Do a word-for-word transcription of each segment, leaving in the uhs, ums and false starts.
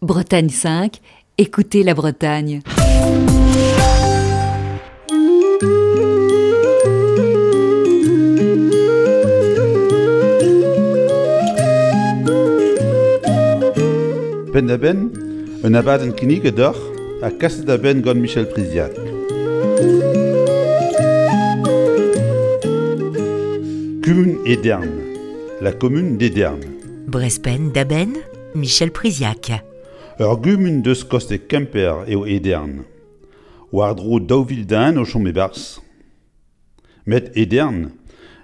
Bretagne cinq, écoutez la Bretagne. Penn-da-benn, un abadenn kinniget deoc'h ha kaset da benn gant Michel Priziac. Kumun Edern, la commune d'Edern. Brezh Penn-da-Benn, Michel Priziac. Ur gumun deus koste Kemper eo Edern. War-dro daou vil den o chom e-barzh. Met Edern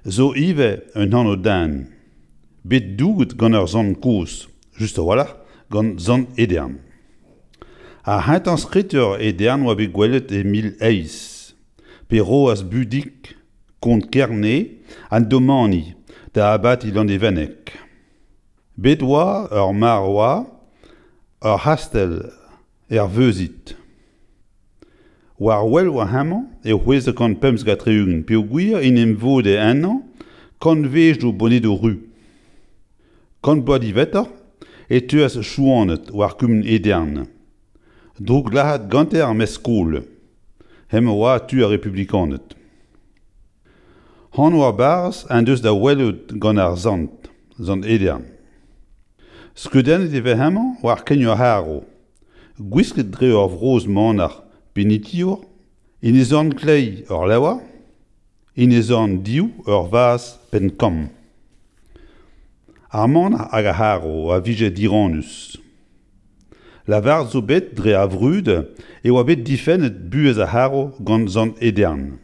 zo ivez un anv den. Bet douget gant ur sant kozh, just a-walc'h gant sant Edern. Ar c'hentañ skritur Edern oa bet gwelet e mil eizh, pe roas Budig kont Kerne an domani da abati Landevenneg. Bet oa ur mar oa ur c'hastell er Veuzit. War wel oa hemañ e c'hwezek kant pemzek ha tri-ugent peogwir en em vode ennañ kantvedoù bonedoù ruz. Kant bloaz diwezhatoc'h e teuas Chouaned war kumun Edern. Drouglazhet gante ar mestr-skol. Hemañ oa tu ar republikaned. Anv ar barrez en deus da welout gant ar sant, sant Edern. Skeudennet e vez hemañ war kein ur c'harv, gwisket dre ur vrozh manac'h penitiour, en e zorn kleiz ur levr, en e zorn dehoù ur vazh penn-kamm. Ar manac'h hag ar c'harv a vije dirannus. Lavaret zo bet dre ar vrud e oa bet difennet buhez ar c'harv gant sant Edern.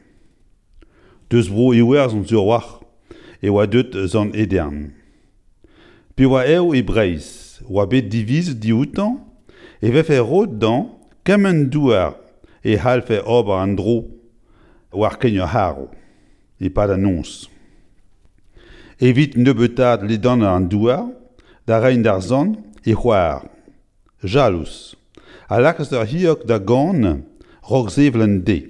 Deus bro Iwerzhon sur a-walc'h e oa deuet sant Edern. Pe oa ev e Breizh, oa bet divizet dioutañ e vefe roet dezhañ kement douar e c'hallfe ober an dro war kein ur c'harv e-pad an noz. Evit nebeutaat ledanner an douar, da reiñ d'ar sant e c'hoar, Jalous, a lakaas ur c'hilhog da gan raok sevel an deiz.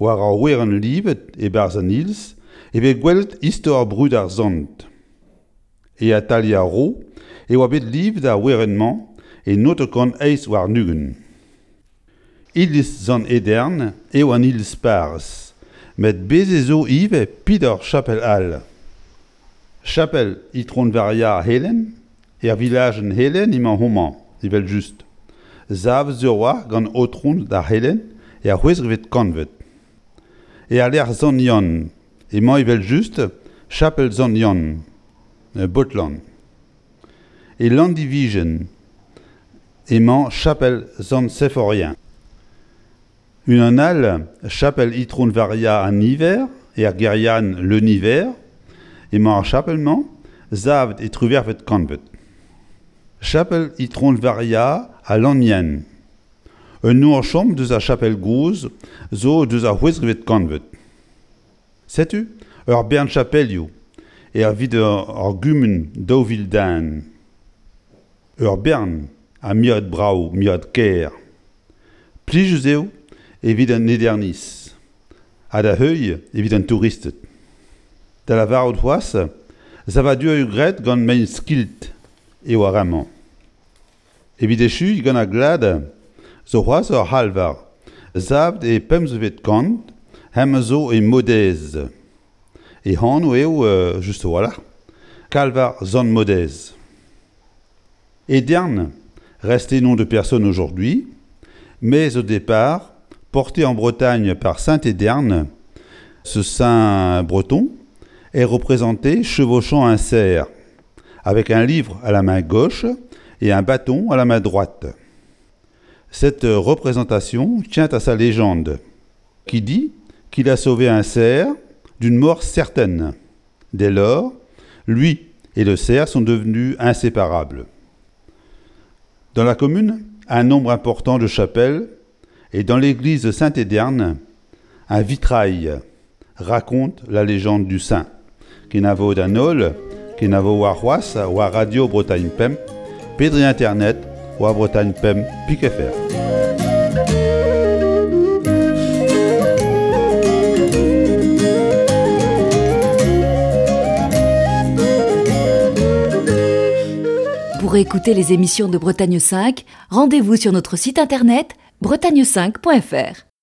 War ar werenn livet e-barzh an iliz e vez gwelet istor brud ar sant. E atalier ar Ro e oa bet livet ar werenn-mañ e naontek kant eizh warn-ugent. Iliz Sant Edern eo an iliz parrez, met bez' ez zo ivez peder chapel all. Chapel Itron-Varia Helen, er vilajenn Helen emañ homañ, evel-just. Savet sur a-walc'h gant aotrouned ar C'helenn er c'hwezekvet kantved. Er lec'h Sant Yann emañ evel-just chapel Sant Yann, Botland. E Landivijen emañ chapel Sant Seforien. Unan all, chapel Itron-Varia an Niver, er gêriadenn Le Niver, emañ ar chapel-mañ, savet e triwec'hvet kantved. Chapel Itron-Varia a Lannion. Un nor-chom deus ar chapel gozh zo deus ar c'hwezekvet kantved. Setu ur bern chapelioù evit ur gumun daou vil den. Ur bern ha miret brav, miret kaer. Plijus eo evit an Ederniz, ha da heuilh evit an touristed. Da lavarout c'hoazh, savadurioù graet gant mein skilt eo ar re-mañ. Evit echuiñ gant ar glad zo c'hoazh ur c'halvar, savet e pemzekvet kant, hemañ zo e Maodez. E anv eo, just a-walc'h, Kalvar Sant Maodez. Edern, resté nom de personne aujourd'hui, mais au départ, porté en Bretagne par saint Edern, ce saint breton est représenté chevauchant un cerf, avec un livre à la main gauche et un bâton à la main droite. Cette représentation tient à sa légende, qui dit qu'il a sauvé un cerf d'une mort certaine. Dès lors, lui et le cerf sont devenus inséparables. Dans la commune, un nombre important de chapelles et dans l'église de Saint-Éderne, un vitrail raconte la légende du saint. Kenavo d'an holl, kenavo warc'hoazh war Radio Bretagne Pemp, pe dre internet war Bretagne Pemp pik F R. Pour Pour écouter les émissions de Bretagne cinq, rendez-vous sur notre site internet bretagne cinq point F R.